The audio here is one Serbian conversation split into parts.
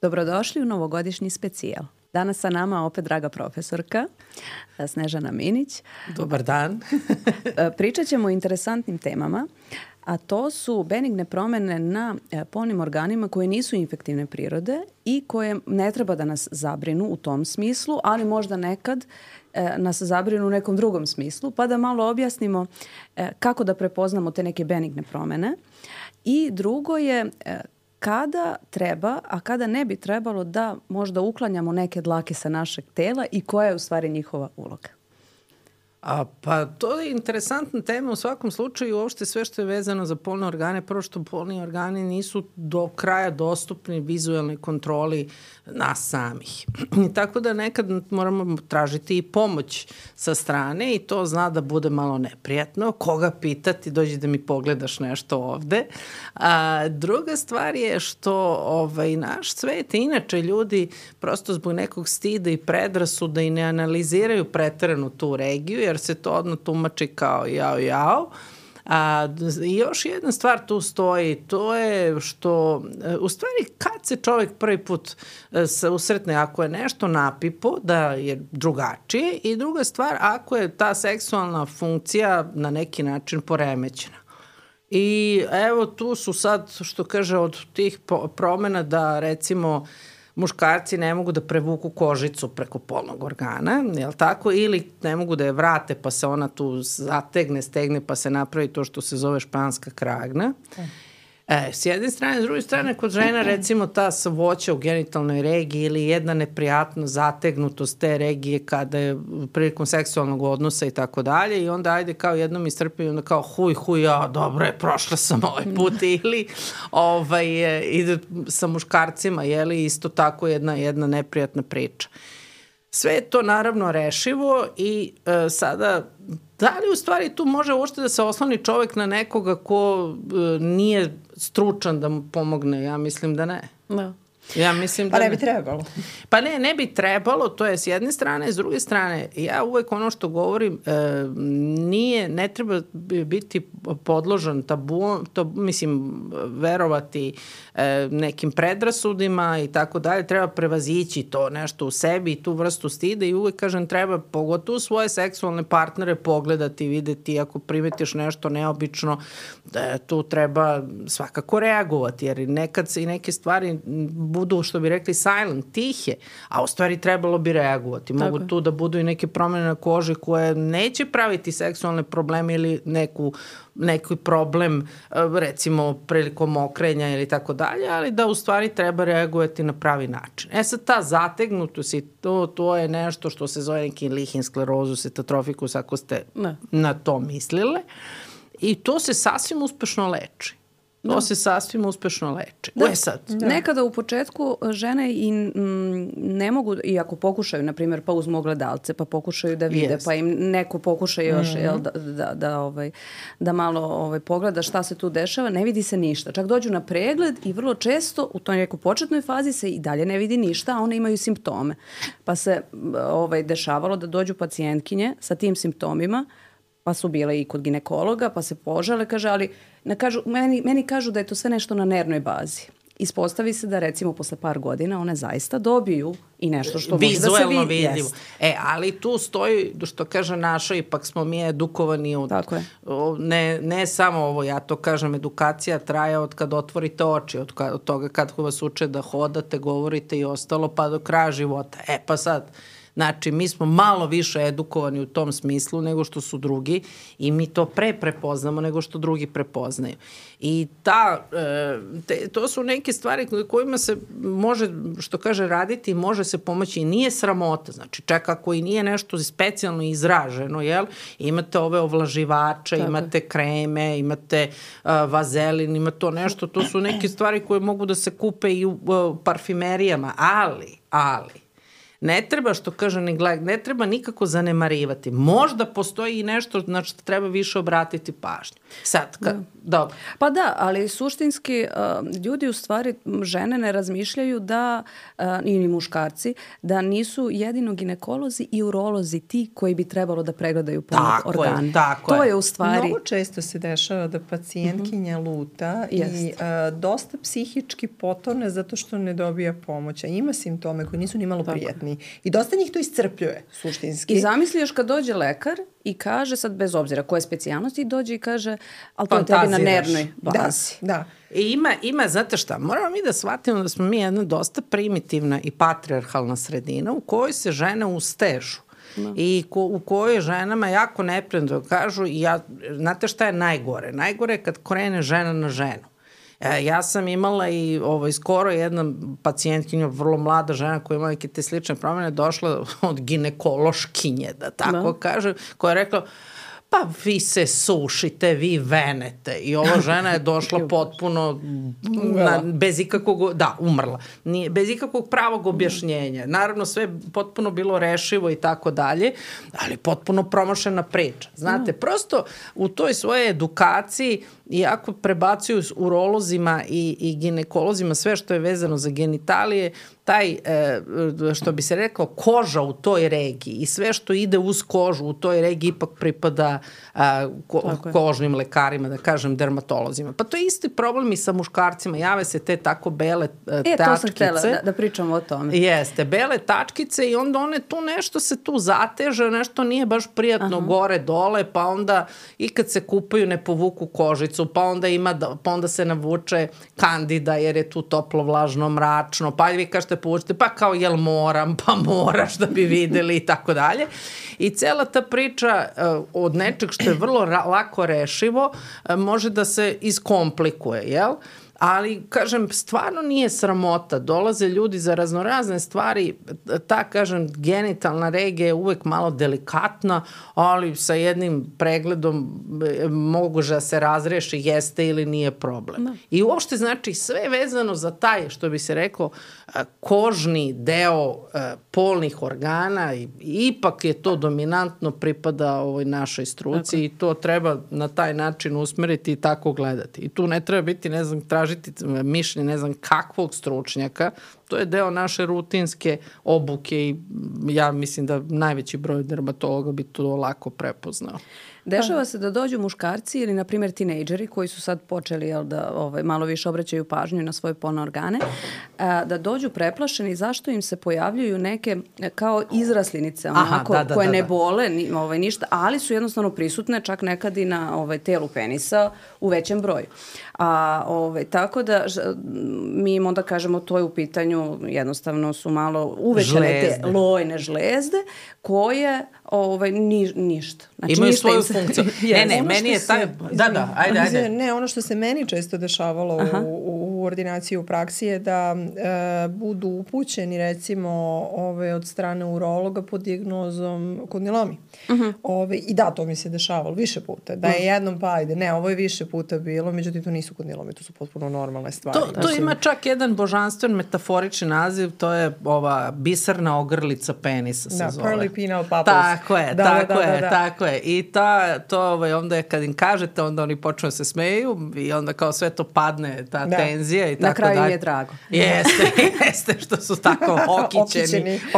Dobrodošli u novogodišnji specijal. Danas sa nama opet draga profesorka Snežana Minić. Dobar dan. Pričat ćemo o interesantnim temama, a to su benigne promene na polnim organima koje nisu infektivne prirode i koje ne treba da nas zabrinu u tom smislu, ali možda nekad nas zabrinu u nekom drugom smislu, pa da malo objasnimo kako da prepoznamo te neke benigne promene. I drugo je kada treba, a kada ne bi trebalo da možda uklanjamo neke dlake sa našeg tela i koja je u stvari njihova uloga. Pa to je interesantna tema u svakom slučaju, uopšte sve što je vezano za polne organe. Prvo što polni organi nisu do kraja dostupni vizualnoj kontroli nas samih. Tako da nekad moramo tražiti i pomoć sa strane i to zna da bude malo neprijatno. Koga pitati, dođi da mi pogledaš nešto ovde. Druga stvar je što naš svet, inače ljudi prosto zbog nekog stida i predrasuda i ne analiziraju preteranu tu regiju, jer se to odmah tumači kao jao. I još jedna stvar tu stoji, to je što u stvari kad se čovjek prvi put usretne, ako je nešto napipo, da je drugačije, i druga stvar, ako je ta seksualna funkcija na neki način poremećena. I evo tu su sad, što kaže, od tih promena da recimo muškarci ne mogu da prevuku kožicu preko polnog organa, jel tako? Ili ne mogu da je vrate pa se ona tu zategne, stegne pa se napravi to što se zove španska kragna. S jedne strane, s druge strane, kod žena recimo ta voća u genitalnoj regiji ili jedna neprijatna zategnutost te regije kada je prilikom seksualnog odnosa i tako dalje, i onda ajde kao jednom istrpim, onda kao huj, dobro je, prošla sam ovaj put, ili ide sa muškarcima, jeli, isto tako jedna neprijatna priča. Sve je to naravno rešivo i sada, da li u stvari tu može uopšte da se osloni čovek na nekoga ko nije stručan da mu pomogne? Ja mislim da ne. Da. Ja mislim da ne bi trebalo. Pa ne bi trebalo, to je s jedne strane. S druge strane, ja uvek ono što govorim, ne treba biti podložan tabu, verovati nekim predrasudima i tako dalje. Treba prevazići to nešto u sebi i tu vrstu stida, i uvek kažem, treba pogotovo svoje seksualne partnere pogledati, videti ako primetiš nešto neobično, tu treba svakako reagovati, jer nekad se i neke stvari budu, što bi rekli, silent, tihe, a u stvari trebalo bi reagovati. Mogu tu da budu i neke promene na koži koje neće praviti seksualne probleme ili neki problem, recimo prilikom mokrenja ili tako dalje, ali da u stvari treba reagovati na pravi način. Sad ta zategnutost i to je nešto što se zove neki lihin sklerozus, etatrofikus, ako ste na to mislile, i to se sasvim uspešno leči. Nekada u početku žene i ne mogu, iako pokušaju, na primjer, pa uzmu ogledalce, pa pokušaju da vide, pa im neko pokuša još da malo pogleda šta se tu dešava, ne vidi se ništa. Čak dođu na pregled i vrlo često u toj nekoj početnoj fazi se i dalje ne vidi ništa, a one imaju simptome. Pa se dešavalo da dođu pacijentkinje sa tim simptomima, pa su bile i kod ginekologa, pa se požale, kaže, ali meni kažu da je to sve nešto na nervnoj bazi. Ispostavi se da recimo posle par godina one zaista dobiju i nešto što može da se vidi. Vizuelno vidljivo. Ali tu stoji, što kaže naša, ipak smo mi edukovani od... Ne samo ovo, ja to kažem, edukacija traje od kad otvorite oči, od toga kad vas uče da hodate, govorite i ostalo, pa do kraja života. Pa sad... Znači, mi smo malo više edukovani u tom smislu nego što su drugi i mi to prepoznamo nego što drugi prepoznaju. I to su neke stvari kojima se može, što kaže, raditi i može se pomoći i nije sramota. Znači, čak ako i nije nešto specijalno izraženo, imate ove ovlaživače, imate kreme, imate vazelin, ima to nešto, to su neke stvari koje mogu da se kupe i u parfimerijama, ali ne treba, što kaže neglect, ne treba nikako zanemarivati. Možda postoji i nešto na što treba više obratiti pažnju. Sad, dobro. Pa da, ali suštinski ljudi u stvari, žene ne razmišljaju da, ili muškarci, da nisu jedino ginekolozi i urolozi ti koji bi trebalo da pregledaju polne organe. To je u stvari... Mnogo često se dešava da pacijentkinja luta i dosta psihički potone zato što ne dobija pomoć. A ima simptome koji nisu ni malo prijatni. I dosta njih to iscrpljuje, suštinski. I zamisli još kad dođe lekar i kaže, sad bez obzira koje specijalnosti, dođe i kaže, ali to je tebi na nervnoj bazi. Da. I ima, znate šta, moramo mi da shvatimo da smo mi jedna dosta primitivna i patrijarhalna sredina u kojoj se žene ustežu. I u kojoj ženama jako neprijatno kažu, znate šta je najgore? Najgore je kad krene žena na ženu. Ja sam imala i skoro jedna pacijentkinja, vrlo mlada žena koja ima neke te slične promjene, došla od ginekološkinje, da tako kaže, koja je rekla, pa vi se sušite, vi venete. I ova žena je došla potpuno bez ikakvog, umrla. Bez ikakvog pravog objašnjenja. Naravno, sve potpuno bilo rešivo i tako dalje, ali potpuno promašena priča. Znate, prosto u toj svojoj edukaciji, iako prebacuju s urolozima i ginekolozima sve što je vezano za genitalije, taj, što bi se rekao, koža u toj regiji i sve što ide uz kožu u toj regiji ipak pripada kožnim lekarima, da kažem, dermatolozima. Pa to je isti problem i sa muškarcima. Jave se te tako bele tačkice. To sam htjela da pričamo o tome. Jeste, bele tačkice i onda one tu nešto se tu zateže, nešto nije baš prijatno gore, dole, pa onda i kad se kupaju ne povuku kožicu, pa onda se navuče kandida jer je tu toplo, vlažno, mračno, pa vi kažete povučite, pa kao jel moram, pa moraš da bi videli i tako dalje. I cela ta priča od nečeg što je vrlo lako rešivo može da se iskomplikuje, jel? Ali, kažem, stvarno nije sramota. Dolaze ljudi za raznorazne stvari. Ta, kažem, genitalna regija je uvek malo delikatna, ali sa jednim pregledom može da se razreši jeste ili nije problem. Da. I uopšte, znači, sve vezano za taj, što bi se reklo, kožni deo polnih organa, ipak je to dominantno pripada ovoj našoj struci i to treba na taj način usmeriti i tako gledati. I tu ne treba biti, ne znam, tražiti mišljenje, ne znam kakvog stručnjaka. To je deo naše rutinske obuke i ja mislim da najveći broj dermatologa bi to lako prepoznao. Dešava se da dođu muškarci ili, na primjer, tinejdžeri koji su sad počeli da malo više obraćaju pažnju na svoje polne organe, da dođu preplašeni zašto im se pojavljuju neke kao izraslinice koje ne bole ništa, ali su jednostavno prisutne čak nekad i na telu penisa u većem broju. Tako da mi im onda kažemo to je u pitanju, jednostavno su malo uvećane te lojne žlezde koje ništa. Znači, imaju svoju funkciju. Meni je taj... Ajde. Ne, ono što se meni često dešavalo u ordinaciji u praksi je da budu upućeni, recimo, od strane urologa pod dijagnozom kondilomi. I da, to mi se dešavalo više puta. Da je jednom pa ajde. Ne, ovo je više puta bilo, međutim to nisu kondilomi, to su potpuno normalne stvari. To ima čak jedan božanstven metaforični naziv, to je ova biserna ogrlica penisa se zove. Pearly penile papules. Tako je. I to onda je kad im kažete, onda oni počnu da se smeju i onda kao sve to padne, ta tenzija i tako dalje. Na kraju im je drago. Jeste, što su tako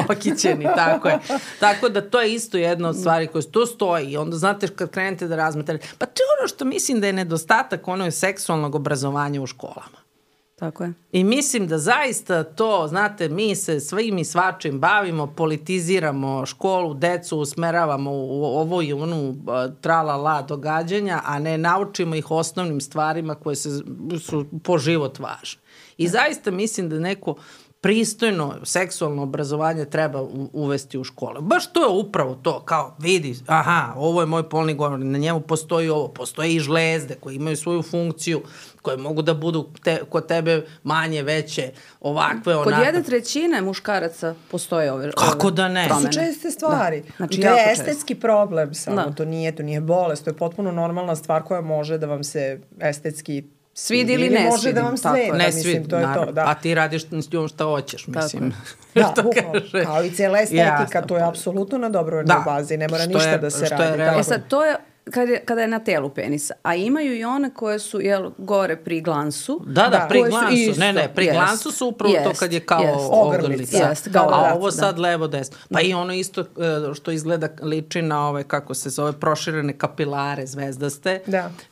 okićeni, tako je. Tako da to je isto jedna od stvari koje tu stoji i onda znate kad krenete da razmatrate. Pa to je ono što mislim da je nedostatak ono je seksualnog obrazovanja u školama. Tako je. I mislim da zaista to, znate, mi se svim i svačim bavimo, politiziramo školu, decu usmeravamo u ovo i onu tralala događanja, a ne naučimo ih osnovnim stvarima koje su po život važne. I zaista mislim da neko pristojno seksualno obrazovanje treba uvesti u škole. Baš to je upravo to, kao vidi, ovo je moj polni govor, na njemu postoji ovo, postoje i žlezde koje imaju svoju funkciju, koje mogu da budu kod tebe manje, veće, ovakve, onakve. Kod 1/3 muškaraca postoje ove kako da ne? To su česte stvari. Znači, to je estetski problem samo, to nije bolest, to je potpuno normalna stvar koja može da vam se estetski Svidi ili ne može da vam sveta, ne mislim, to je to. Da. A ti radiš s njom šta hoćeš, mislim. Da, bukvalno, kao i cijela estetika, to je apsolutno na dobrovoljnoj bazi, ne mora ništa da se radi. Sad, to je kada je na telu penisa, a imaju i one koje su gore pri glansu. Da, pri glansu, pri glansu su upravo to kad je kao ogrlica, a ovo sad levo desno. Pa i ono isto što izgleda liči na ove, kako se zove, proširene kapilare zvezdaste,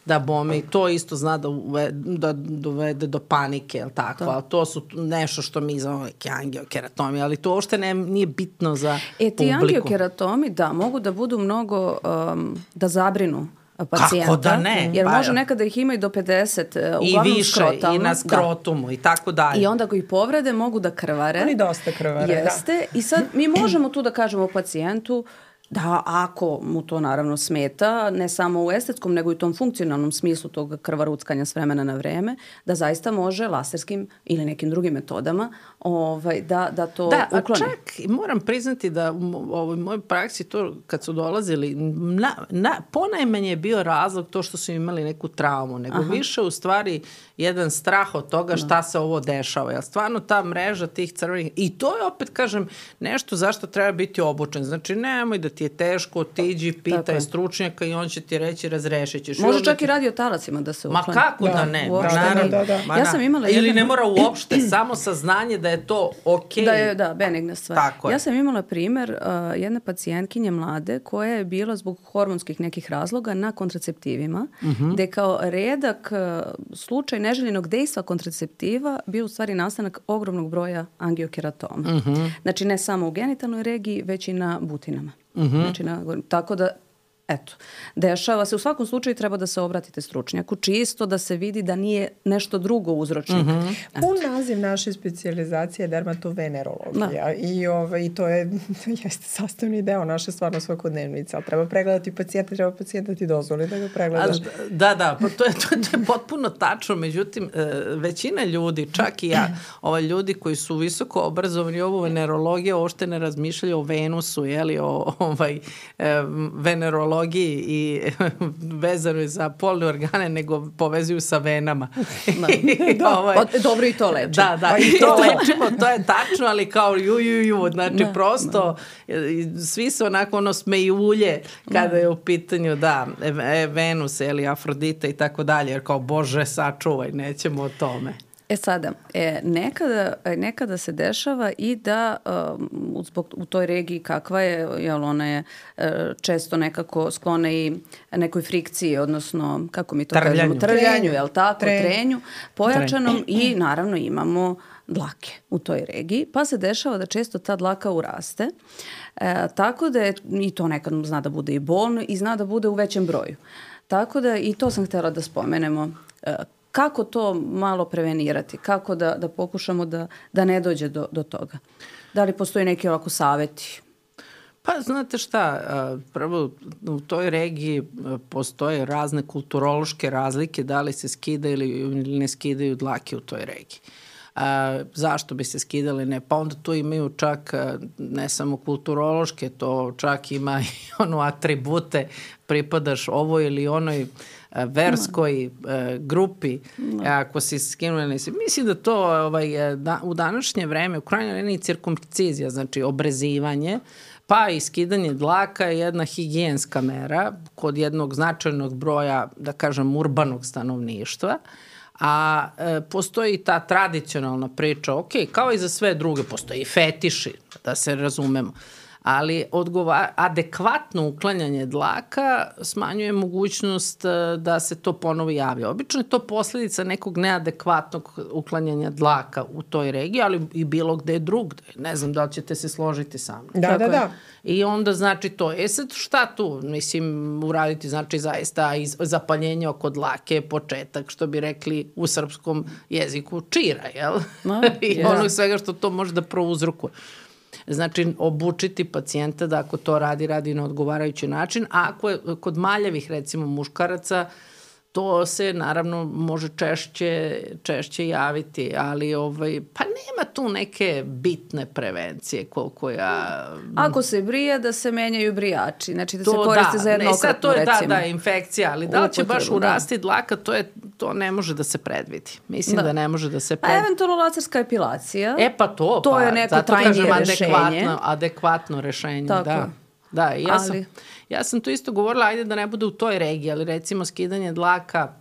da bome i to isto zna da dovede do panike, jel tako? A to su nešto što mi zove angiokeratomi, ali to uopšte nije bitno za publiku. Ti angiokeratomi, da, mogu da budu mnogo, da zabrinu pacijenta. Kako da ne? Jer može nekada ih ima i do 50, uglavnom i više, i na skrotumu, i tako dalje. I onda ako ih povrede, mogu da krvare. Oni dosta krvare, Jeste. I sad mi možemo tu da kažemo pacijentu da ako mu to naravno smeta, ne samo u estetskom, nego i u tom funkcionalnom smislu tog krvaruckanja s vremena na vreme, da zaista može laserskim ili nekim drugim metodama da to ukloni. Da, a čak moram priznati da u mojoj praksi to kad su dolazili, ponajmanje je bio razlog to što su imali neku traumu, nego više u stvari jedan strah od toga šta se ovo dešava. Jer stvarno ta mreža tih crvenih, i to je opet, kažem, nešto zašto treba biti obučen. Znači, nemoj da ti je teško, otiđi, pitaj stručnjaka i on će ti reći razrešit ćeš. Može čak i radiotalacima da se ukloni. Ma kako da ne? Ja sam imala ili ne mora uopšte, samo saznanje da je to okej. Da, benigna stvar. Ja sam imala primer jedne pacijentkinje mlade koja je bila zbog hormonskih nekih razloga na kontraceptivima, gde kao redak slučaj neželjenog dejstva kontraceptiva bio u stvari nastanak ogromnog broja angiokeratoma. Znači ne samo u genitalnoj regiji, već i na butinama. Znači, tako da, eto, dešava se. U svakom slučaju treba da se obratite stručnjaku, čisto da se vidi da nije nešto drugo uzročnik. Pun naziv naše specijalizacije je dermatovenerologija i to jeste sastavni deo naše stvarno svakodnevnice, ali treba pregledati pacijenta, treba pacijenta ti dozvoli da ga pregledaš. Da, to je potpuno tačno, međutim, većina ljudi, čak i ja, ljudi koji su visoko obrazovani ovu venerologiju, uopšte ne razmišljaju o Venusu, o venerologiji i vezano je za polne organe, nego povezuju sa venama. Dobro i to leči. Da, i to lečimo, to je tačno, ali kao znači prosto svi se onako smejulje kada je u pitanju Venus ili Afrodita i tako dalje, jer kao Bože sačuvaj, nećemo o tome. Sada, nekada se dešava i da u toj regiji kakva je, jer ona je često nekako sklona i nekoj frikciji, odnosno, kako mi to kažemo, trljanju, jel tako, trenju, pojačanom i naravno imamo dlake u toj regiji, pa se dešava da često ta dlaka uraste, tako da je, i to nekad zna da bude i bolno i zna da bude u većem broju. Tako da i to sam htjela da spomenemo. Kako to malo prevenirati? Kako da pokušamo da ne dođe do toga? Da li postoji neki ovako savjeti? Pa znate šta, prvo u toj regiji postoje razne kulturološke razlike, da li se skida ili ne skidaju dlake u toj regiji. Zašto bi se skidali? Ne, pa onda tu imaju čak ne samo kulturološke, to čak ima i atribute, pripadaš ovoj ili onoj verskoj grupi, ako si skinuo, mislim da to u današnje vreme, u krajnjoj liniji cirkumcizija, znači obrezivanje, pa i skidanje dlaka je jedna higijenska mera kod jednog značajnog broja, da kažem, urbanog stanovništva, a postoji ta tradicionalna priča, kao i za sve druge, postoji i fetiši, da se razumemo, ali adekvatno uklanjanje dlaka smanjuje mogućnost da se to ponovo javlja. Obično je to posljedica nekog neadekvatnog uklanjanja dlaka u toj regiji, ali i bilo gde drugde. Ne znam da li ćete se složiti sa mnom. Da. I onda znači to. Sad šta tu? Mislim, uraditi znači zaista zapaljenje oko dlake, početak, što bi rekli u srpskom jeziku, čira, jel? I ono svega što to može da prouzrokuje. Znači, obučiti pacijenta da ako to radi na odgovarajući način, a ako je kod maljavih, recimo, muškaraca, to se naravno može češće javiti, ali pa nema tu neke bitne prevencije koliko ja... Ako se brije, da se menjaju brijači, znači da se koriste za jednokratnu, recimo. To je infekcija, ali da li će baš urasti dlaka, to ne može da se predvidi. Mislim da ne može da se predvidi. A eventualno laserska epilacija. Pa to je neko trajnije rešenje. Adekvatno rešenje, tako. Da. Da, ja sam tu isto govorila, ajde da ne bude u toj regiji, ali recimo skidanje dlaka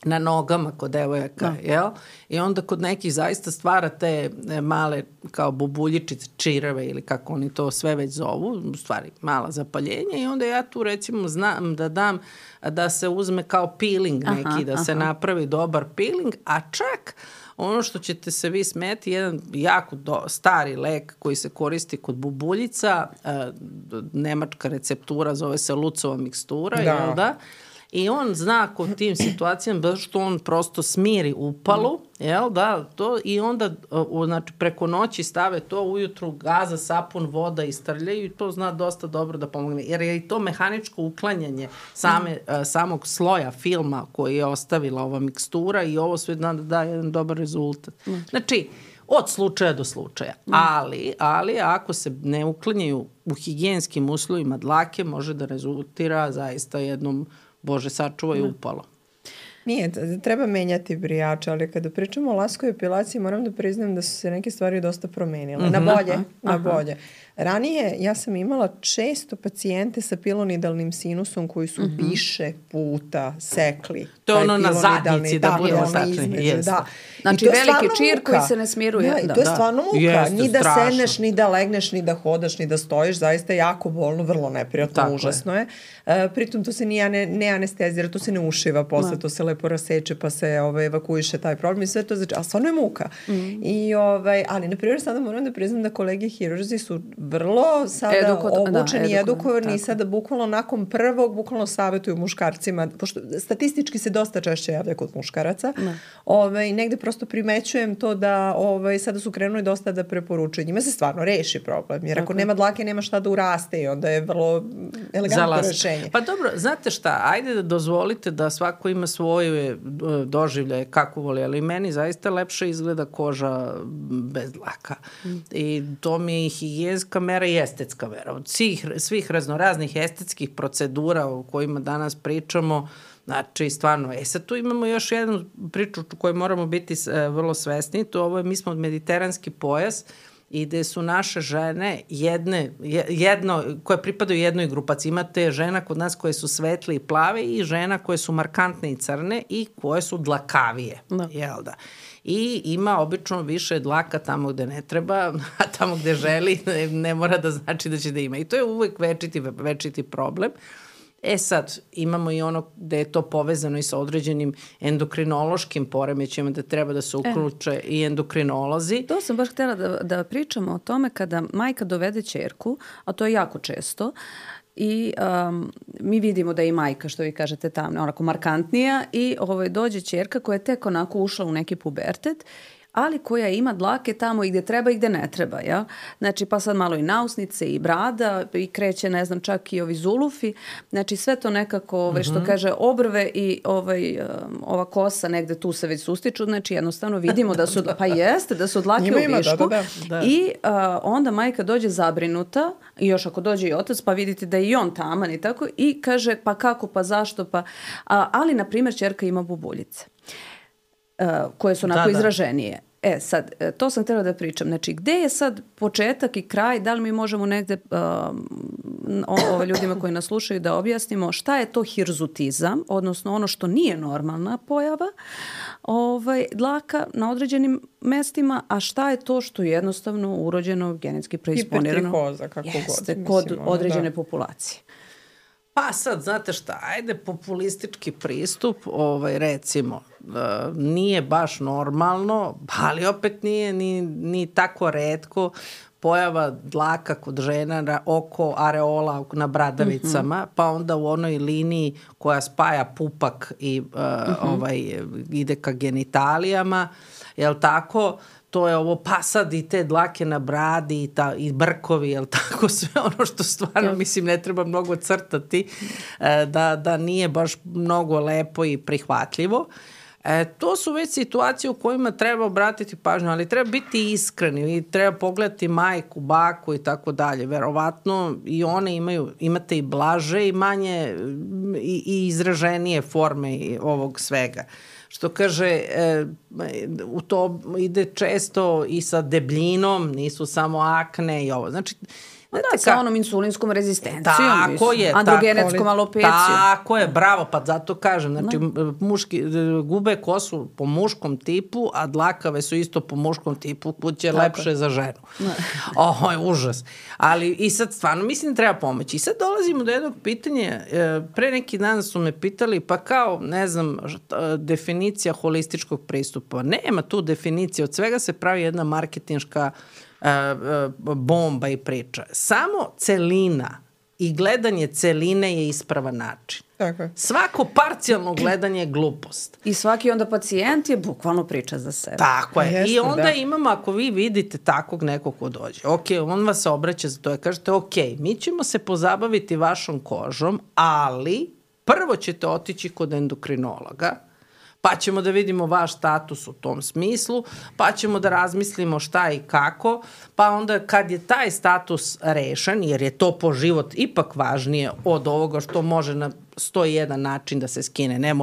na nogama kod devojaka, jel? I onda kod nekih zaista stvara te male kao bubuljičice, čirave ili kako oni to sve već zovu, u stvari mala zapaljenja, i onda ja tu recimo znam da dam da se uzme kao peeling neki, da se napravi dobar peeling, a čak ono što ćete se vi smeti, jedan jako stari lek koji se koristi kod bubuljica, nemačka receptura, zove se Lucova mikstura, jel da? I on zna kod tim situacijama što on prosto smiri upalu, jel da, to, i onda znači, preko noći stave to, ujutru gaza, sapun, voda i strljaju, i to zna dosta dobro da pomogne. Jer je i to mehaničko uklanjanje samog sloja filma koji je ostavila ova mikstura, i ovo sve zna da da jedan dobar rezultat. Znači, od slučaja do slučaja. Ali ako se ne uklanjaju u higijenskim uslovima dlake, može da rezultira zaista jednom, Bože sačuvaj, upalo. Nije, treba menjati brijače, ali kada pričamo o laskoj epilaciji, moram da priznam da su se neke stvari dosta promenile. Na bolje. Ranije ja sam imala često pacijente sa pilonidalnim sinusom koji su više puta sekli. To je ono na zadnjici, da budemo tačni. Da. Znači veliki čir koji se ne smiruje. Da, i to je stvarno muka. Ni da sedneš, ni da legneš, ni da hodaš, ni da stojiš. Zaista je jako bolno, vrlo neprijatno, užasno je. Pritom to se ne anestezira, to se ne ušiva posle, to se lepo raseče pa se evakuiše taj problem i sve to znači, a stvarno je muka. Ali na primjer sada moram da priznam da kolege hirurzi su vrlo sada obučeni i edukovani i sada bukvalno nakon prvog bukvalno savjetuju muškarcima, pošto statistički se dosta češće javlja kod muškaraca, negde prosto primećujem to da sada su krenuli dosta da preporučuju. Njima se stvarno reši problem, jer ako nema dlake nema šta da uraste i onda je vrlo elegantno rešenje. Pa dobro, znate šta, ajde da dozvolite da svako ima svoje doživljaje kako voli, ali meni zaista lepše izgleda koža bez dlaka. I to mi je i higijenska mera i estetska mera. Od svih raznoraznih estetskih procedura o kojima danas pričamo, znači stvarno, sad tu imamo još jednu priču koju moramo biti vrlo svesni, mi smo mediteranski pojas i gde su naše žene koje pripadaju jednoj grupaciji. Imate žena kod nas koje su svetle i plave i žena koje su markantne i crne i koje su dlakavije. Jel da? I ima obično više dlaka tamo gde ne treba, a tamo gde želi ne mora da znači da će da ima. I to je uvek večiti problem. Sad, imamo i ono gde je to povezano i sa određenim endokrinološkim poremećima, da treba da se uključe i endokrinolozi. To sam baš htjela da pričamo o tome kada majka dovede ćerku, a to je jako često, i mi vidimo da je i majka, što vi kažete, tamna, onako markantnija, i dođe ćerka koja je tek onako ušla u neki pubertet, ali koja ima dlake tamo i gde treba i gde ne treba, ja? Znači, pa sad malo i nausnice i brada i kreće, ne znam, čak i ovi zulufi. Znači, sve to nekako, što kaže, obrve i ova kosa negde tu se već sustiču. Znači, jednostavno vidimo da su, pa jeste, da su dlake u višku. I onda majka dođe zabrinuta, i još ako dođe i otac, pa vidite da je i on taman i tako, i kaže, pa kako, pa zašto, pa... ali, na primjer, ćerka ima bubuljice koje su onako izraženije. Sad, to sam htjela da pričam. Znači, gde je sad početak i kraj? Da li mi možemo negde ljudima koji nas slušaju da objasnimo šta je to hirzutizam, odnosno ono što nije normalna pojava dlaka na određenim mestima, a šta je to što je jednostavno urođeno, genetski preisponirano. Hipertrihoza, kako god. Kod određene populacije. Pa sad, znate šta, ajde populistički pristup, recimo, nije baš normalno, ali opet nije ni tako retko pojava dlaka kod žena oko areola na bradavicama, pa onda u onoj liniji koja spaja pupak i ide ka genitalijama, jel tako? to je ovo, pa sad i te dlake na bradi i brkovi, jel tako, sve ono što stvarno, mislim, ne treba mnogo crtati, da nije baš mnogo lepo i prihvatljivo. To su već situacije u kojima treba obratiti pažnju, ali treba biti iskreni i treba pogledati majku, baku i tako dalje. Verovatno i one imate i blaže i manje i izraženije forme ovog svega. Što kaže, u to ide često i sa debljinom, nisu samo akne i ovo. Znači, sa onom insulinskom rezistencijom. Tako je. Androgenetskom alopecijom. Tako je, bravo, pa zato kažem. Znači, muški gube kosu po muškom tipu, a dlakave su isto po muškom tipu, kuće je lepše za ženu. Ovo je užas. Ali i sad stvarno mislim da treba pomoći. I sad dolazimo do jednog pitanja. Pre neki dan su me pitali, pa kao, ne znam, definicija holističkog pristupa. Nema tu definicije. Od svega se pravi jedna marketinška bomba i priča. Samo celina i gledanje celine je ispravan način. Tako je. Svako parcijalno gledanje je glupost. I svaki onda pacijent je bukvalno priča za sebe. Tako je. I onda imamo, ako vi vidite takvog nekog ko dođe, on vas se obraća za to i kažete, mi ćemo se pozabaviti vašom kožom, ali prvo ćete otići kod endokrinologa, pa ćemo da vidimo vaš status u tom smislu, pa ćemo da razmislimo šta i kako, pa onda kad je taj status rešen, jer je to po život ipak važnije od ovoga što može na 101 način da se skine. Ne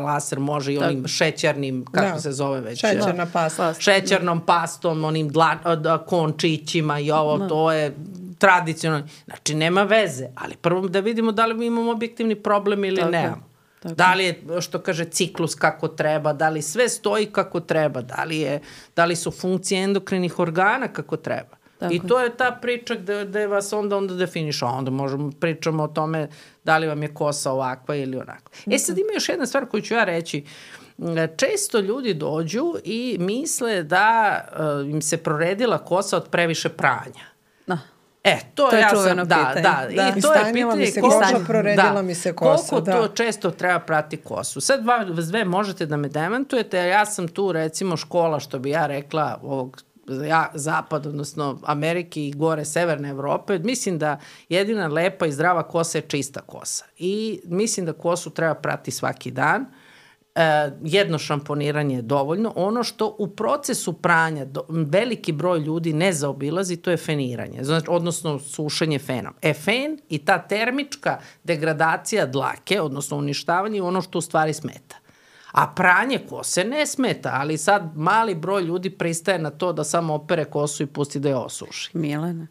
laser može i onim šećernim, kako se zove već? Šećerna pasta. Šećernom pastom, onim končićima i ovo, to je tradicionalno. Znači, nema veze, ali prvo da vidimo da li mi imamo objektivni problem ili nemamo. Da li je, što kaže, ciklus kako treba, da li sve stoji kako treba, da li su funkcije endokrinih organa kako treba. I to je ta priča gde vas onda definiša. Onda možemo pričamo o tome da li vam je kosa ovakva ili onakva. Sad ima još jedna stvar koju ću ja reći. Često ljudi dođu i misle da im se proredila kosa od previše pranja. To je čuveno pitanje. I to je pitanje proredila mi se kosa. Koliko to često treba prati kosu. Sad sve možete da me demantujete, ja sam tu recimo škola, što bi ja rekla, ovog zapad, odnosno Amerike i gore severne Evrope. Mislim da jedina lepa i zdrava kosa je čista kosa. I mislim da kosu treba prati svaki dan. Jedno šamponiranje je dovoljno. Ono što u procesu pranja veliki broj ljudi ne zaobilazi, to je feniranje, odnosno sušenje fenom. Fen i ta termička degradacija dlake, odnosno uništavanje, je ono što u stvari smeta. A pranje kose ne smeta, ali sad mali broj ljudi pristaje na to da samo opere kosu i pusti da je osuši. Milena,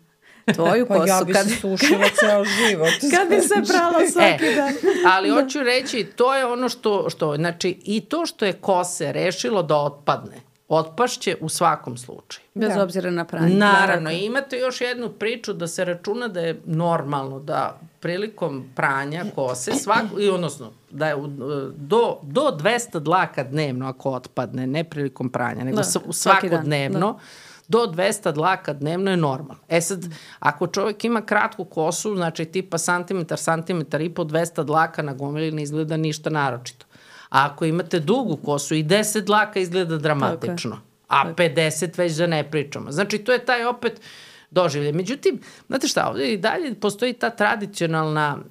tvoju kosu... ja bi se sušila ceo život. Kad bi se prala svaki dan. Ali hoću reći, to je ono što... Znači, i to što je kose rešilo da otpadne, otpašće u svakom slučaju. Bez obzira na pranje. Naravno, imate još jednu priču da se računa da je normalno da prilikom pranja kose, odnosno da je do 200 dlaka dnevno ako otpadne, ne prilikom pranja, nego svakodnevno, do 200 dlaka dnevno je normalno. Sad, ako čovjek ima kratku kosu, znači tipa santimetar i po 200 dlaka na gomili ne izgleda ništa naročito. A ako imate dugu kosu i 10 dlaka izgleda dramatično. A 50 već da ne pričamo. Znači, to je taj opet doživlje. Međutim, znate šta, ovdje i dalje postoji ta tradicionalan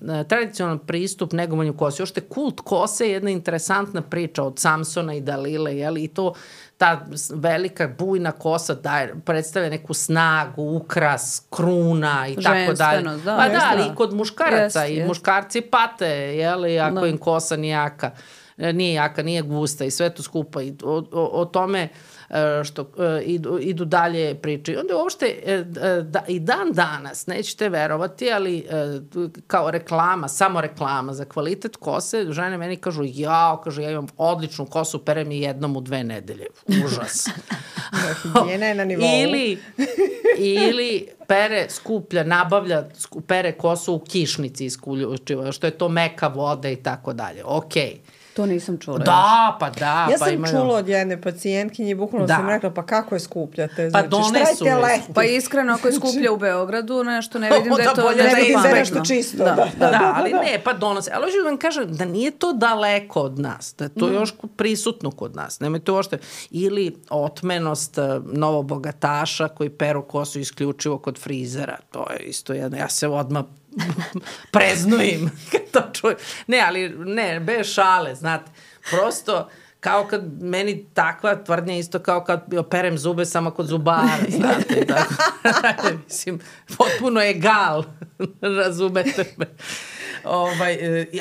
pristup negovanju kose. Još te kult kose je jedna interesantna priča od Samsona i Dalile, i to ta velika bujna kosa predstavlja neku snagu, ukras, kruna i tako dalje. Ali i kod muškaraca. I muškarci pate, ako im kosa nije jaka, nije gusta i sve to skupa. I o tome što idu dalje priče. Onda uopšte i dan danas, nećete verovati, ali kao reklama, samo reklama za kvalitet kose, žene meni kažu, ja imam odličnu kosu, perem je jednom u 2 nedelje. Užas. Higijena je na nivou. ili nabavlja, pere kosu u kišnici isključivo, što je to meka voda i tako dalje. Okej. To nisam čula. Da, pa da. Ja sam čula od jedne pacijentkinje i bukvalno sam rekla, pa kako je skupljate? Pa donesu je. Pa iskreno, ako je skuplja u Beogradu, nešto ne vidim da je to bolje nešto da je pametno. nešto čisto. Da, ali ne, pa donose. Ali hoću da vam kažem da nije to daleko od nas, da je to još prisutno kod nas. Nemojte uopšte. Ili otmenost novobogataša koji peru kosu isključivo kod frizera. To je isto jedno. Ja se odmah preznojim kad to čujem. Ne, ali ne, bez šale, znate. Prosto, kao kad meni takva tvrdnja isto kao kad operem zube samo kod zubara, znate. Tako. Mislim, potpuno egal, razumete me.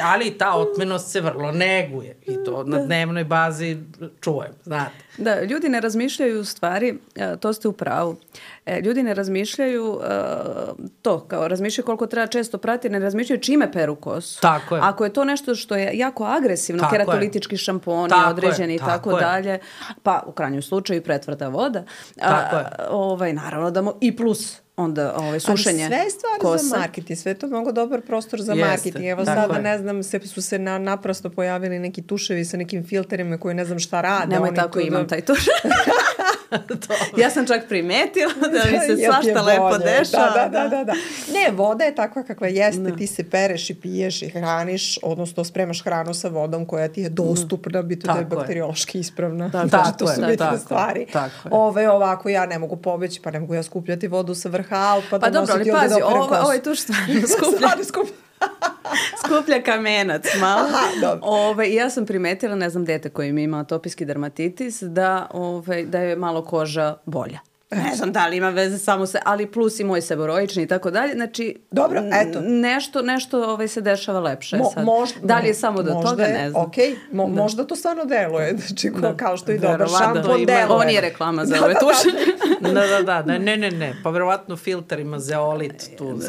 Ali ta otmenost se vrlo neguje i to na dnevnoj bazi čujem, znate. Da, ljudi ne razmišljaju u stvari, to ste u pravu, ljudi ne razmišljaju razmišljaju koliko treba često prati, ne razmišljaju čime peru kosu. Tako je. Ako je to nešto što je jako agresivno, keratolitički šamponi određeni i tako dalje, pa u krajnjem slučaju pretvrda voda, naravno da i plus onda sušenje kosa. Ali sve je stvar za marketing, sve je to mnogo dobar prostor za marketing. Evo sada, ne znam, su se naprosto pojavili neki tuševi sa nekim filterima koji ne znam šta rade. Nemoj tako, imam taj tuš. Ja sam čak primetila da mi se svašta lepo dešava. Da. Ne, voda je takva kakva jeste, ti se pereš i piješ i hraniš, odnosno spremaš hranu sa vodom koja ti je dostupna, bito da je bakteriološki ispravna. Znači, to su bitne stvari. Ovako, ja ne mogu pobeći, pa ne mogu ja skupljati vodu sa vrha Alpa da nositi ovdje da operem kosu. Ovo je tuš stvarno skuplja kamenac malo. I ja sam primetila, ne znam, dete koje mi ima atopijski dermatitis, da je malo koža bolja. Ne znam da li ima veze samo se, ali plus i moj seboroični i tako dalje. Znači, dobro, eto. Nešto se dešava lepše sad. Da li je samo do toga, ne znam. Okej, možda to stvarno deluje. Znači, kao što i dobar šampon deluje. Ovo nije reklama za ove tuše. Ne. Pa verovatno filter ima zeolit, tu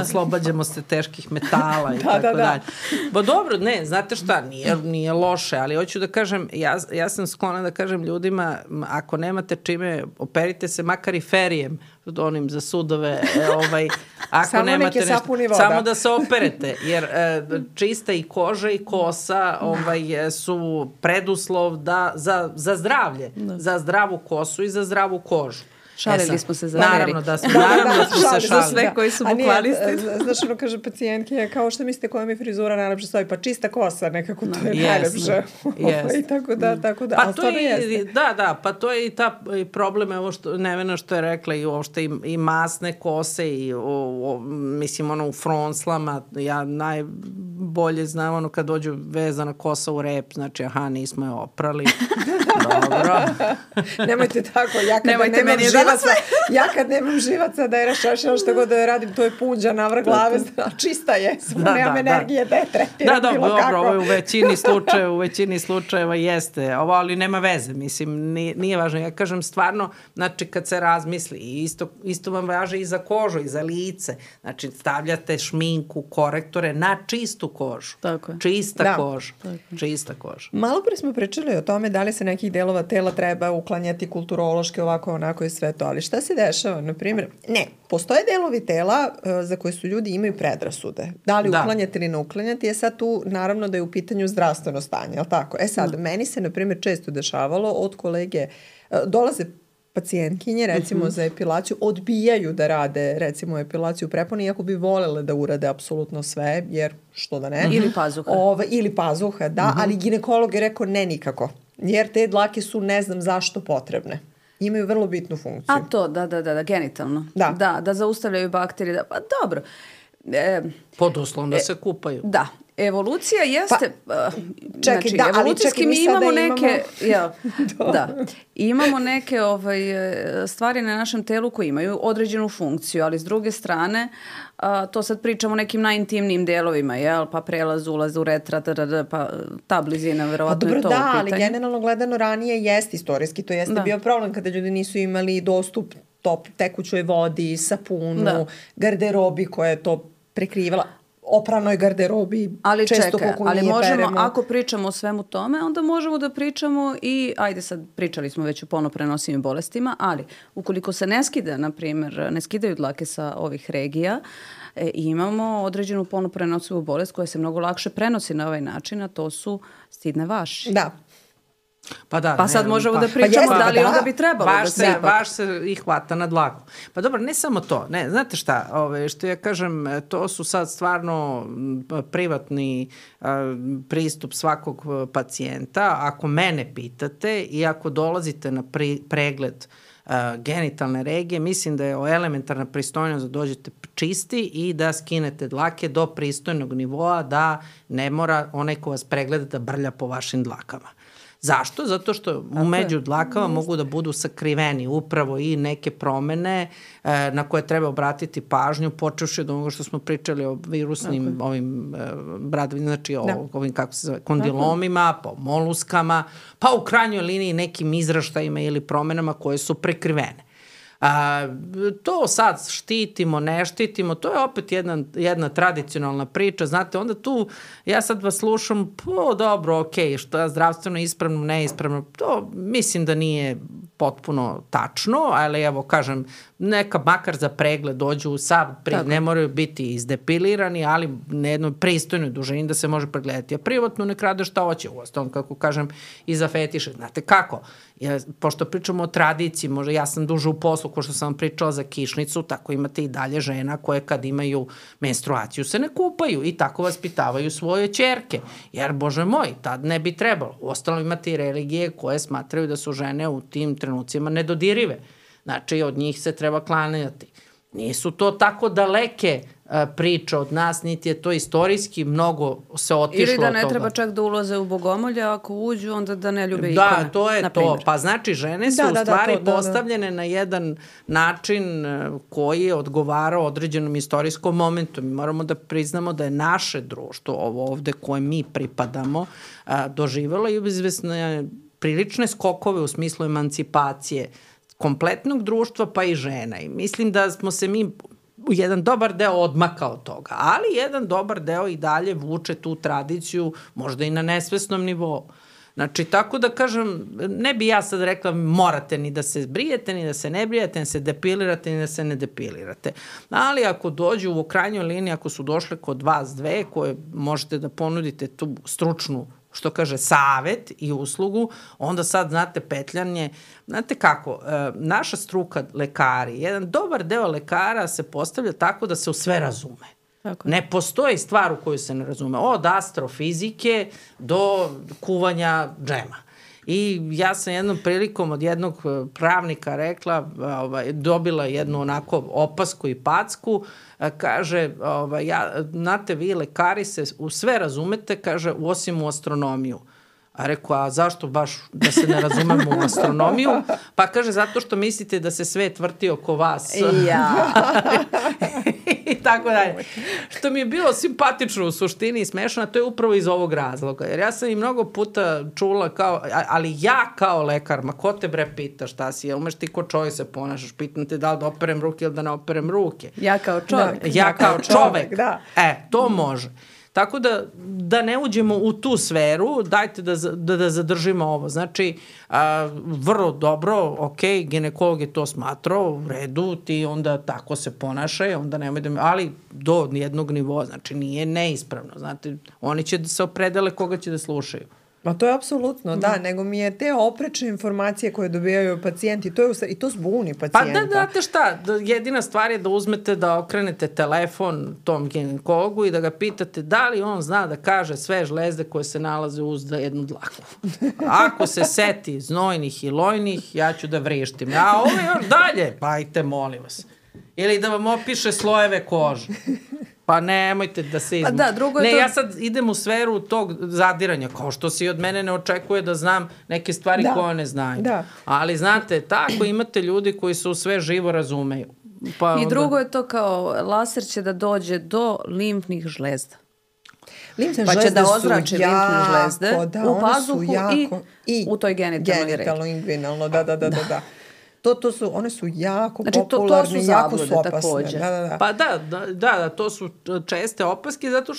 oslobađamo se teških metala i tako dalje. Ba dobro, ne, znate šta, nije loše, ali hoću da kažem, ja sam sklona da kažem ljudima, ako nemate čime, operite se makar i ferijem, onim za sudove, ako samo nemate nešto, voda. samo da se operete, jer čista i koža i kosa su preduslov za zdravlje, za zdravu kosu i za zdravu kožu. Šalili smo se za naravno da smo se šalili. Za sve koji su bukvalisti. Znaš, kaže pacijentke, kao što mislite koja mi frizura najlepše stoji, pa čista kosa, nekako to je najlepše. I tako da. Pa to je, pa to je i ta problem, ovo što Nevena što je rekla, i uopšte i masne kose, i mislim, u fronslama, ja najbolje znam kad dođu vezana kosa u rep, znači, nismo je oprali. Dobro. Nemojte tako, ja kad nemam živaca da je rašašila što god da je radim, to je punđa navrh glave, čista je, samo nemam energije da je tretiram bilo kako. Dobro, u većini slučajeva jeste, ali nema veze, mislim, nije važno. Ja kažem stvarno, znači kad se razmisli, isto vam važe i za kožu, i za lice, znači stavljate šminku, korektore na čistu kožu. Tako je. Čista koža. Malo pre smo pričali o tome da li se nekih delova tela treba uklanjati kulturološki, ovako, onako i sve to, ali šta se dešava, na primjer, postoje delovi tela za koje su ljudi imaju predrasude. Da li uklanjati ili ne uklanjati, je sad tu naravno da je u pitanju zdravstveno stanje, je li tako? Sad, meni se, na primjer, često dešavalo od kolege, dolaze pacijentkinje, recimo za epilaciju, odbijaju da rade, recimo, epilaciju prepone, iako bi volele da urade apsolutno sve, jer što da ne. Ili pazuha. Da, ali ginekolog je rekao ne nikako, jer te dlake su ne znam zašto potrebne. Imaju vrlo bitnu funkciju. A to, da, genitalno. Da zaustavljaju bakterije. Pa dobro. Pod uslovom da se kupaju. Da. Evolucija jeste, evolucijski mi imamo neke, imamo neke stvari na našem telu koje imaju određenu funkciju, ali s druge strane, to sad pričamo o nekim najintimnijim delovima, pa prelaz, ulaz, uretra, pa ta blizina, verovatno je to u pitanju. Ali generalno gledano ranije jeste istorijski, to jeste bio problem kada ljudi nisu imali dostup tekućoj vodi, sapunu, garderobi koja je to prekrivala. opranoj garderobi. Ali često čekaj, ali možemo, peremo. ako pričamo o svemu tome, onda možemo da pričamo i, ajde sad, pričali smo već o polno prenosivim bolestima, ali ukoliko se ne skida, na primjer, ne skidaju dlake sa ovih regija, imamo određenu polno prenosivu bolest koja se mnogo lakše prenosi na ovaj način, a to su stidne vaši. Da. Pa sad možemo da pričamo da li onda bi trebalo da se ipak... Vaš se ih hvata na dlaku. Pa dobro, ne samo to. Ne, znate šta, što ja kažem, to su sad stvarno privatni pristup svakog pacijenta. Ako mene pitate i ako dolazite na pregled genitalne regije, mislim da je elementarna pristojnost da dođete čisti i da skinete dlake do pristojnog nivoa, da ne mora onaj ko vas pregleda da brlja po vašim dlakama. Zašto? Zato što među dlakama mogu da budu sakriveni upravo i neke promene na koje treba obratiti pažnju, počevši od onoga što smo pričali o virusnim ovim bradovima, znači ovim, kako se zove, kondilomima, po moluskama, pa u krajnjoj liniji nekim izraštajima ili promenama koje su prekrivene. To sad štitimo, ne štitimo, to je opet jedna tradicionalna priča, znate, onda tu ja sad vas slušam, dobro, okej, što je zdravstveno ispravno, neispravno, to mislim da nije potpuno tačno, ali evo kažem, neka makar za pregled dođu ne moraju biti izdepilirani, ali na jednoj pristojnoj dužini da se može pregledati. A privatno nek rade šta hoće, uostalom, kako kažem, i za fetiše. Znate kako? Pošto pričamo o tradiciji, možda ja sam duže u poslu, ko što sam vam pričala za kišnicu, tako imate i dalje žena koje kad imaju menstruaciju se ne kupaju i tako vaspitavaju svoje ćerke. Jer, bože moj, tad ne bi trebalo. Uostalom imate i religije koje smatraju da su žene u tim trenucima nedodirive. Znači, od njih se treba klanjati. Nisu to tako daleke priče od nas, niti je to istorijski mnogo se otišlo od toga. Ili da ne treba čak da ulaze u bogomolje, ako uđu, onda da ne ljube ikone. Da, to je to. Pa znači, žene su u stvari postavljene na jedan način koji je odgovarao određenom istorijskom momentu. Mi moramo da priznamo da je naše društvo, ovo ovde koje mi pripadamo, doživelo i izvesne prilične skokove u smislu emancipacije kompletnog društva pa i žena. I mislim da smo se mi jedan dobar deo odmakao od toga, ali jedan dobar deo i dalje vuče tu tradiciju možda i na nesvesnom nivou. Znači, tako da kažem, ne bi ja sad rekla morate ni da se brijete, ni da se ne brijete, ni da se depilirate, ni da se ne depilirate. Ali ako dođu u krajnjoj liniji, ako su došle kod vas dve koje možete da ponudite tu stručnu, što kaže, savet i uslugu, onda sad, znate, petljanje, znate kako, naša struka, lekari, jedan dobar deo lekara se postavlja tako da se u sve razume. Tako. Ne postoji stvar u koju se ne razume. Od astrofizike do kuvanja džema. I ja sam jednom prilikom od jednog pravnika rekla, dobila jednu onako opasku i packu, kaže, znate, vi lekari se u sve razumete, kaže, osim u astronomiju. A rekao, a zašto baš da se ne razumemo u astronomiju? Pa kaže, zato što mislite da se svet vrti oko vas. I tako dalje. Što mi je bilo simpatično u suštini i smešno, to je upravo iz ovog razloga. Jer ja sam i mnogo puta čula kao, ali ja kao lekar, ma ko te bre pita šta si, umeš ti ko čovjek se ponašaš, pitam te da li da operem ruke ili da ne operem ruke. Ja kao čovjek. Ja kao čovjek. Da. To može. Tako da ne uđemo u tu sferu, dajte da zadržimo ovo. Znači, vrlo dobro, ok, ginekolog je to smatrao, u redu, ti onda tako se ponašaj, onda nemoj da ali do jednog nivoa, znači nije neispravno, znate, oni će da se opredele koga će da slušaju. Ma to je apsolutno, da, nego mi je te oprečne informacije koje dobijaju pacijenti, i to zbuni pacijenta. Pa da, znate šta, jedina stvar je da uzmete, da okrenete telefon tom ginekologu i da ga pitate da li on zna da kaže sve žlezde koje se nalaze uz jednu dlaku. Ako se seti znojnih i lojnih, ja ću da vrištim. A ovo još dalje, pa ajte, molim vas. Ili da vam opiše slojeve kože. Pa nemojte da se izmu. Ja sad idem u sferu tog zadiranja, kao što se od mene ne očekuje da znam neke stvari koje ne znaju. Ali znate, tako imate ljudi koji se u sve živo razumeju. I drugo je to kao laser će da dođe do limfnih žlezda. Pa će da ozrači limfne žlezde u pazuhu i u toj genitalnoj regiji. Genitalno, inguinalno, da. One su jako popularne, to su jako su zablude opasne. takođe. Da. Pa da, to su česte opaske zato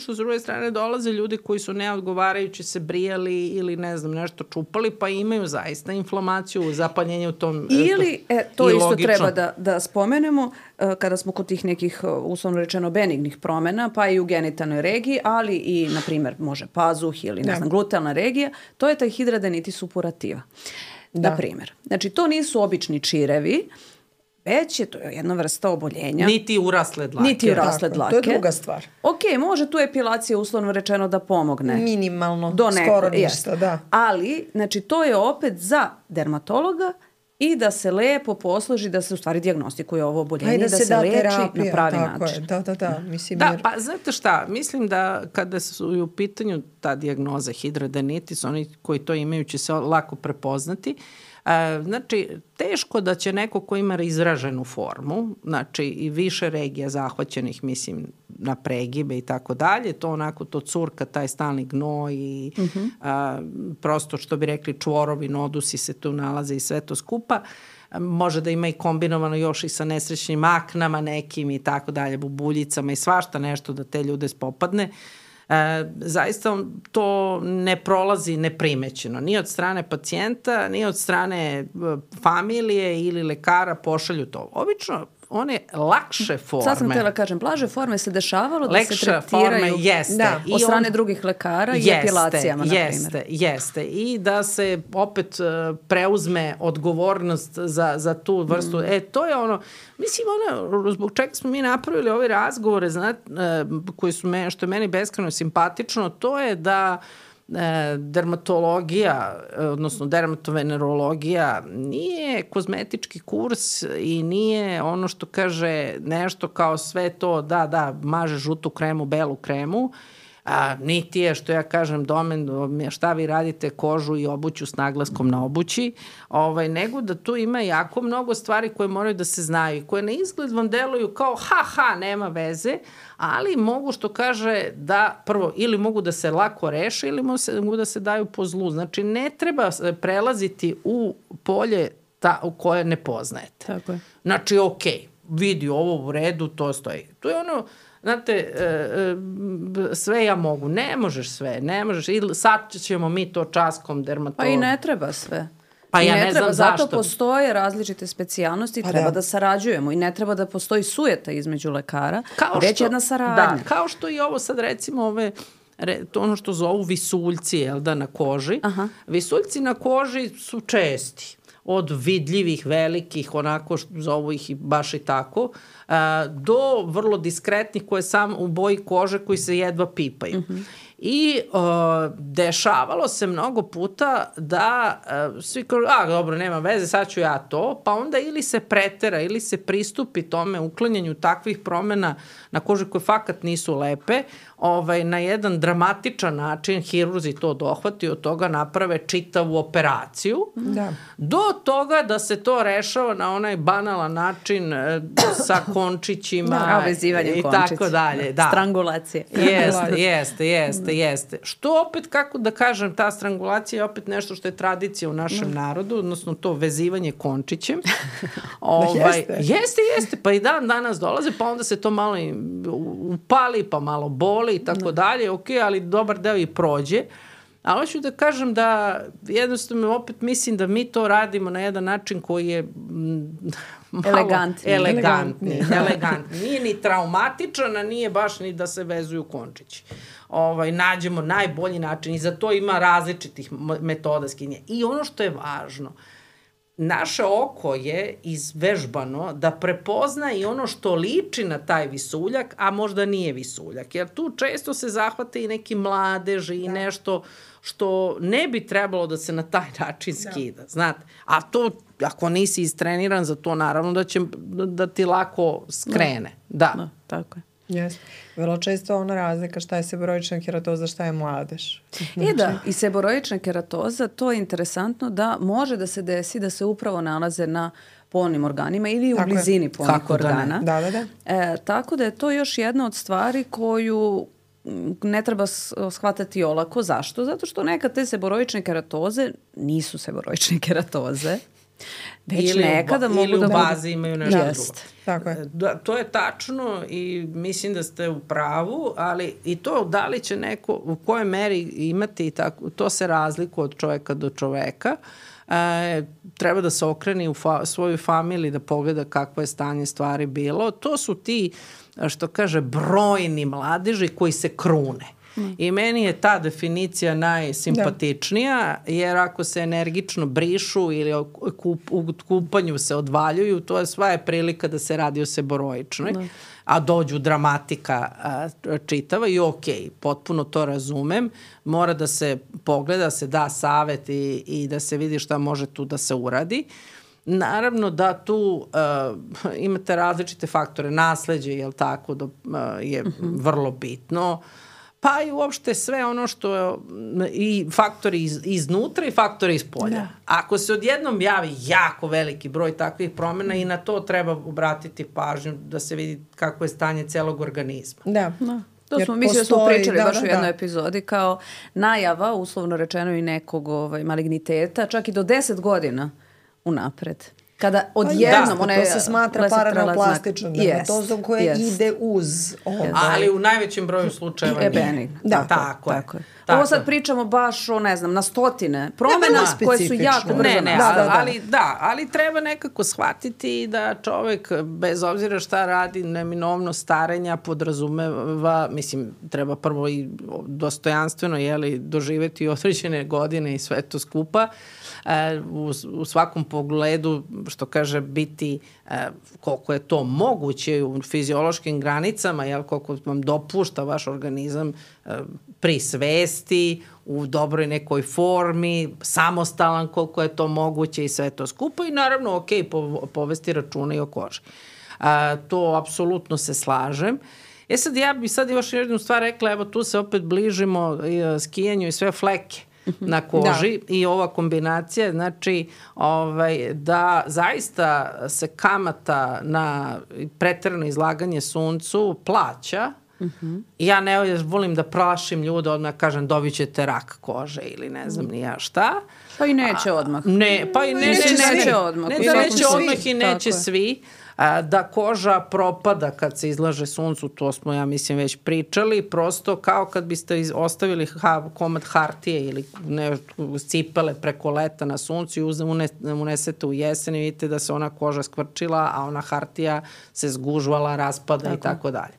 što s druge strane dolaze ljudi koji su neodgovarajući se brijali ili ne znam nešto čupali pa imaju zaista inflamaciju, zapaljenje u tom. Ili, to isto logično. treba da spomenemo kada smo kod tih nekih uslovno rečeno benignih promena, pa i u genitalnoj regiji, ali i na primjer može pazuh ili ne znam glutealna regija, to je taj hidradenitis suppurativa. Na primjer. Znači, to nisu obični čirevi, već je to jedna vrsta oboljenja. Niti urasle dlake. To je druga stvar. Ok, može tu epilacija uslovno rečeno da pomogne. Minimalno, skoro ništa, da. Ali, znači, to je opet za dermatologa i da se lepo posloži, da se u stvari dijagnostikuje ovo oboljenje, da se leči terapija, na pravi način. Da. Mislim, pa znate šta, mislim da kada su u pitanju ta dijagnoza hidradenitis, oni koji to imaju će se lako prepoznati. Znači, teško da će neko ko ima izraženu formu, znači i više regija zahvaćenih, mislim, na pregibe i tako dalje, to onako to curka, taj stalni gnoj i prosto što bi rekli čvorovi, nodusi se tu nalaze i sve to skupa. Može da ima i kombinovano još i sa nesrećnim aknama nekim i tako dalje, bubuljicama i svašta nešto da te ljude spopadne. Zaista to ne prolazi neprimećeno. Ni od strane pacijenta, ni od strane familije ili lekara pošalju to. Obično one lakše forme. Sad sam htjela kažem, blaže forme se dešavalo da se tretiraju od strane drugih lekara i epilacijama, na primjer. Jeste. I da se opet preuzme odgovornost za tu vrstu. To je ono, mislim, zbog čega smo mi napravili ove razgovore, koji su što je meni beskrajno simpatično, to je da dermatologija, odnosno dermatovenerologija nije kozmetički kurs i nije ono što kaže nešto kao sve to da maže žutu kremu, belu kremu, niti je, što ja kažem, domen šta vi radite kožu i obuću s naglaskom na obući, nego da tu ima jako mnogo stvari koje moraju da se znaju, koje na izgled vam deluju kao nema veze, ali mogu, što kaže, da prvo ili mogu da se lako reše ili mogu da se daju po zlu. Znači, ne treba prelaziti u polje u koje ne poznajete. Tako je. Znači, vidi ovo u redu, to stoji. To je ono, znate, sve ja mogu. Ne možeš sve, ne možeš. Ili sad ćemo mi to časkom dermatologu. Pa i ne treba sve. Pa ja ne znam zašto. Zato postoje različite specijalnosti i treba da sarađujemo i ne treba da postoji sujeta između lekara, već jedna saradnja. Da, kao što i ovo sad recimo to ono što zovu visuljci, na koži. Visuljci na koži su česti. Od vidljivih, velikih, onako zovu ih baš i tako, do vrlo diskretnih koje sam u boji kože koji se jedva pipaju. I dešavalo se mnogo puta da svi kažu, dobro, nema veze, sad ću ja to, pa onda ili se pretera, ili se pristupi tome uklanjanju takvih promena na koži koje fakat nisu lepe, na jedan dramatičan način hirurzi to dohvati, od toga naprave čitavu operaciju, do toga da se to rešava na onaj banalan način sa končićima ovezivanjem končića i tako dalje. Strangulacije. Jeste. Što opet, kako da kažem, ta strangulacija je opet nešto što je tradicija u našem narodu, odnosno to vezivanje končićem. Jeste. Pa i danas dolaze, pa onda se to malo upali, pa malo boli i tako dalje. Ali dobar deo i prođe. Ali hoću da kažem da jednostavno opet mislim da mi to radimo na jedan način koji je malo elegantni. Nije ni traumatičan, a nije baš ni da se vezuju končići. Nađemo najbolji način i za to ima različitih metoda skinja. I ono što je važno, naše oko je izvežbano da prepozna i ono što liči na taj visuljak, a možda nije visuljak. Jer tu često se zahvate i neki mladeži i nešto što ne bi trebalo da se na taj način skida. Znate? A to, ako nisi istreniran za to, naravno da će da ti lako skrene. Da, tako je. Yes. Vrlo često ona razlika šta je seboroična keratoza, šta je mladež. I seboroična keratoza, to je interesantno da može da se desi da se upravo nalaze na polnim organima ili u blizini polnih organa. Da. Tako da je to još jedna od stvari koju ne treba shvatati olako. Zašto? Zato što nekad te seboroične keratoze nisu seboroične keratoze. Već nekada mogu da ili u bazi imaju nešto drugo. Tako je. Da, to je tačno i mislim da ste u pravu, ali i to da li će neko u kojoj meri imati tako, to se razlikuje od čoveka do čoveka. Treba da se okreni u svoju familiju da pogleda kakvo je stanje stvari bilo. To su ti, što kaže, brojni mladeži koji se krune. I meni je ta definicija najsimpatičnija, jer ako se energično brišu ili u kupanju se odvaljuju, to je sva je prilika da se radi o seboroičnoj, a dođu dramatika čitava i potpuno to razumem, mora da se pogleda, se da savet i da se vidi šta može tu da se uradi. Naravno da tu imate različite faktore, nasleđe, jel tako, je vrlo bitno, pa i uopšte sve ono što je i faktori iznutra i faktori iz polja. Da. Ako se odjednom javi jako veliki broj takvih promjena i na to treba obratiti pažnju da se vidi kako je stanje celog organizma. Da. To smo, mislim da smo pričali baš u jednoj epizodi kao najava, uslovno rečeno i nekog maligniteta, čak i do 10 godina unapred. Kada odjednom to se smatra paranoplastično dermatozom koja ide uz ovo. Ali u najvećem broju slučajeva je benigno. Da, tako je. Ovo sad pričamo baš o, ne znam, na stotine promjena koje su jako brzo. Ali treba nekako shvatiti da čovek, bez obzira šta radi, neminovno starenja podrazumeva, mislim, treba prvo i dostojanstveno doživeti određene godine i sve to skupa. U svakom pogledu, što kaže, biti koliko je to moguće u fiziološkim granicama, koliko vam dopušta vaš organizam pri svesti, u dobroj nekoj formi, samostalan koliko je to moguće i sve to skupa i naravno povesti računa i o koži. To apsolutno se slažem. Sad ja bi sad još jednu stvar rekla, evo tu se opet bližimo skijanju i sve fleke na koži i ova kombinacija, znači da zaista se kamata na preterano izlaganje suncu plaća. Ja ne volim da plašim ljude, odmah kažem dobit ćete rak kože ili ne znam ni ja šta. Pa i neće odmah. Pa i neće odmah. Ne da neće odmah i neće svi. Da koža propada kad se izlaže suncu, to smo, ja mislim, već pričali, prosto kao kad biste ostavili komad hartije ili cipele preko leta na suncu i unesete u jesen i vidite da se ona koža skvrčila, a ona hartija se zgužvala, raspada i tako dalje.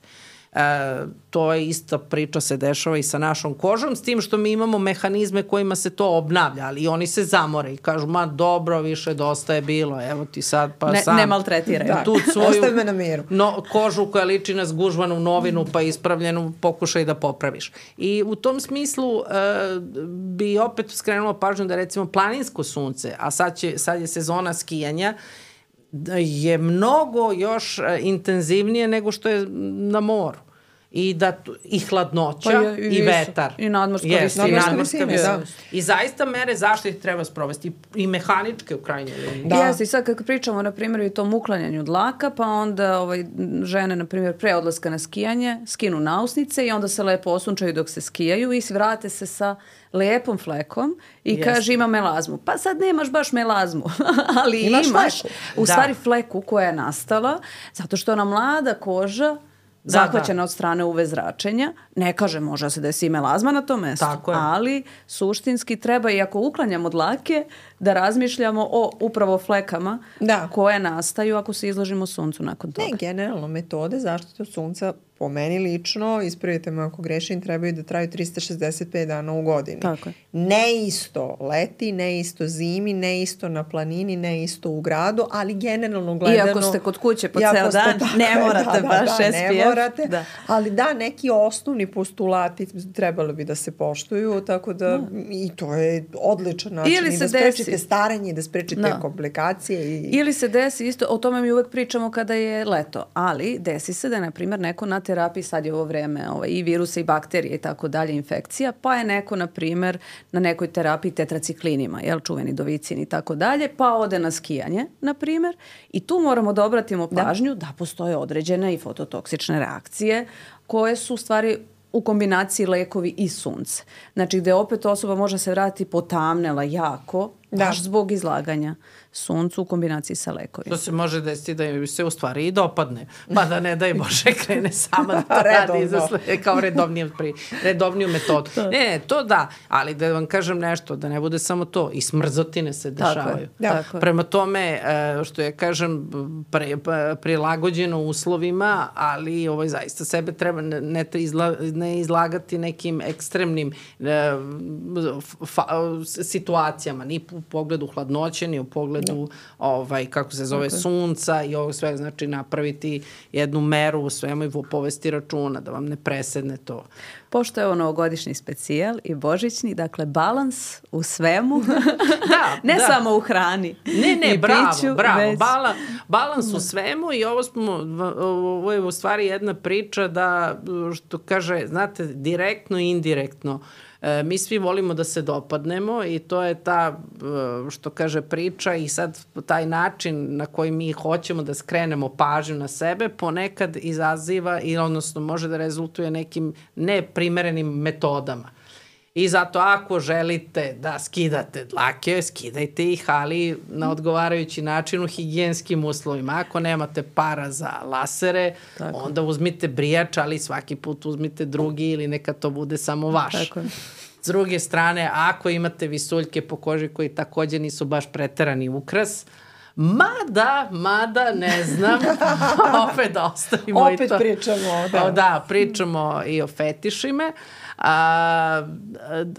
To je ista priča se dešava i sa našom kožom, s tim što mi imamo mehanizme kojima se to obnavlja, ali oni se zamore i kažu, ma dobro, više dosta je bilo, evo ti sad pa sam. Ne maltretiraju. Ostavi me na miru. Kožu koja liči na zgužvanu novinu pa ispravljenu, pokušaj da popraviš. I u tom smislu bi opet skrenulo pažnju da recimo planinsko sunce, a sad je sezona skijanja, je mnogo još intenzivnije nego što je na moru. I hladnoća i vetar. I nadmorska visina. I zaista mere zaštite treba sprovesti. I mehaničke u krajnjoj liniji. Jeste, i sad kad pričamo, na primjer, i tom uklanjanju dlaka, pa onda žene, na primjer, pre odlaska na skijanje, skinu nausnice i onda se lepo osunčaju dok se skijaju i vrate se sa lijepom flekom i kaže ima melazmu. Pa sad nemaš baš melazmu, ali imaš u stvari fleku koja je nastala zato što je ona mlada koža zahvaćena od strane UV zračenja. Ne kaže, može se desi melazma na tom mestu, ali suštinski treba, i ako uklanjamo dlake, da razmišljamo o upravo flekama koje nastaju ako se izložimo suncu nakon toga. Ne, generalno, metode zaštite od sunca po meni lično, ispravite me ako grešim, trebaju da traju 365 dana u godini. Tako je. Ne isto leti, ne isto zimi, ne isto na planini, ne isto u gradu, ali generalno gledano... Iako ste kod kuće po ceo dan, ne morate baš SPF. Ne morate, ali neki osnovni postulati trebalo bi da se poštuju, tako da i to je odličan način i da sprečite starenje i da sprečite komplikacije. Ili se desi isto, o tome mi uvek pričamo kada je leto, ali desi se da je, na primjer, neko na terapiji, sad je ovo vreme i virusa i bakterije i tako dalje, infekcija, pa je neko, na primjer, na nekoj terapiji tetraciklinima, čuveni dovicin i tako dalje, pa ode na skijanje, na primjer, i tu moramo da obratimo pažnju da postoje određene i fototoksične reakcije koje su u stvari u kombinaciji lekovi i sunce. Znači, gde opet osoba može se vratiti potamnela jako baš zbog izlaganja suncu u kombinaciji sa lekovima. To se može desiti da se u stvari i dopadne, pa da ne daj Bože krene sama da to radi kao redovniju metodu. Ne, to da, ali da vam kažem nešto, da ne bude samo to, i smrzotine se dešavaju. Tako je. Prema tome, što ja kažem, prilagođeno uslovima, ali zaista sebe treba ne izlagati nekim ekstremnim situacijama, ni u pogledu hladnoće, ni u pogledu kako se zove, sunca i ovo sve, znači napraviti jednu meru u svemu i povesti računa da vam ne presedne to. Pošto je ovo novogodišnji specijal i božićni, dakle balans u svemu, ne samo u hrani. Ne, bravo, balans u svemu i ovo je u stvari jedna priča da, što kaže, znate, direktno i indirektno, mi svi volimo da se dopadnemo i to je ta, što kaže, priča i sad taj način na koji mi hoćemo da skrenemo pažnju na sebe ponekad izaziva i odnosno može da rezultuje nekim neprimerenim metodama. I zato ako želite da skidate dlake, skidajte ih, ali na odgovarajući način u higijenskim uslovima. Ako nemate para za lasere, onda uzmite brijač, ali svaki put uzmite drugi ili neka to bude samo vaš. Tako je. S druge strane, ako imate visuljke po koži koji takođe nisu baš preterani ukras, mada, ne znam, opet da ostavimo i to. Opet pričamo. Da, pričamo i o fetišima.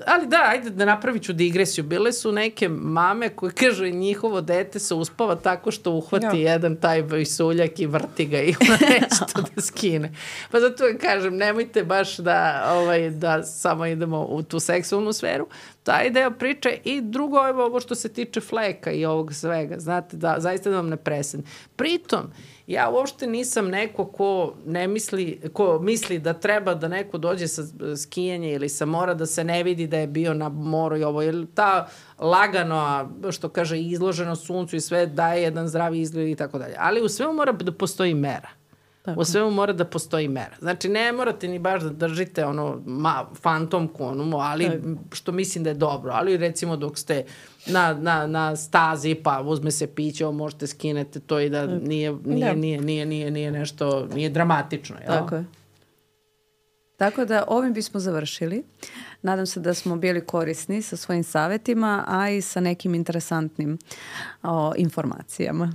Ali da, ajde da napravit ću digresiju. Bile su neke mame koje kažu njihovo dete se uspava tako što uhvati jedan taj visuljak i vrti ga i ona neće to da skine. Pa zato kažem, nemojte baš da samo idemo u tu seksualnu sferu. Taj deo priče i drugo je ovo što se tiče fleka i ovog svega. Znate, da zaista da vam ne presedne. Pritom, ja uopšte nisam neko ko misli da treba da neko dođe sa skijanja ili sa mora da se ne vidi da je bio na moru i ovo. Jer ta lagano, što kaže, izloženo suncu i sve daje jedan zdravi izgled i tako dalje. Ali u svemu mora da postoji mera. Tako. U svemu mora da postoji mera. Znači, ne morate ni baš da držite fantomku, ali što mislim da je dobro. Ali recimo dok ste na stazi, pa uzme se piće, možete skinete to i da nije nešto, nije dramatično. Jel? Tako je. Tako da ovim bismo završili. Nadam se da smo bili korisni sa svojim savjetima, a i sa nekim interesantnim informacijama.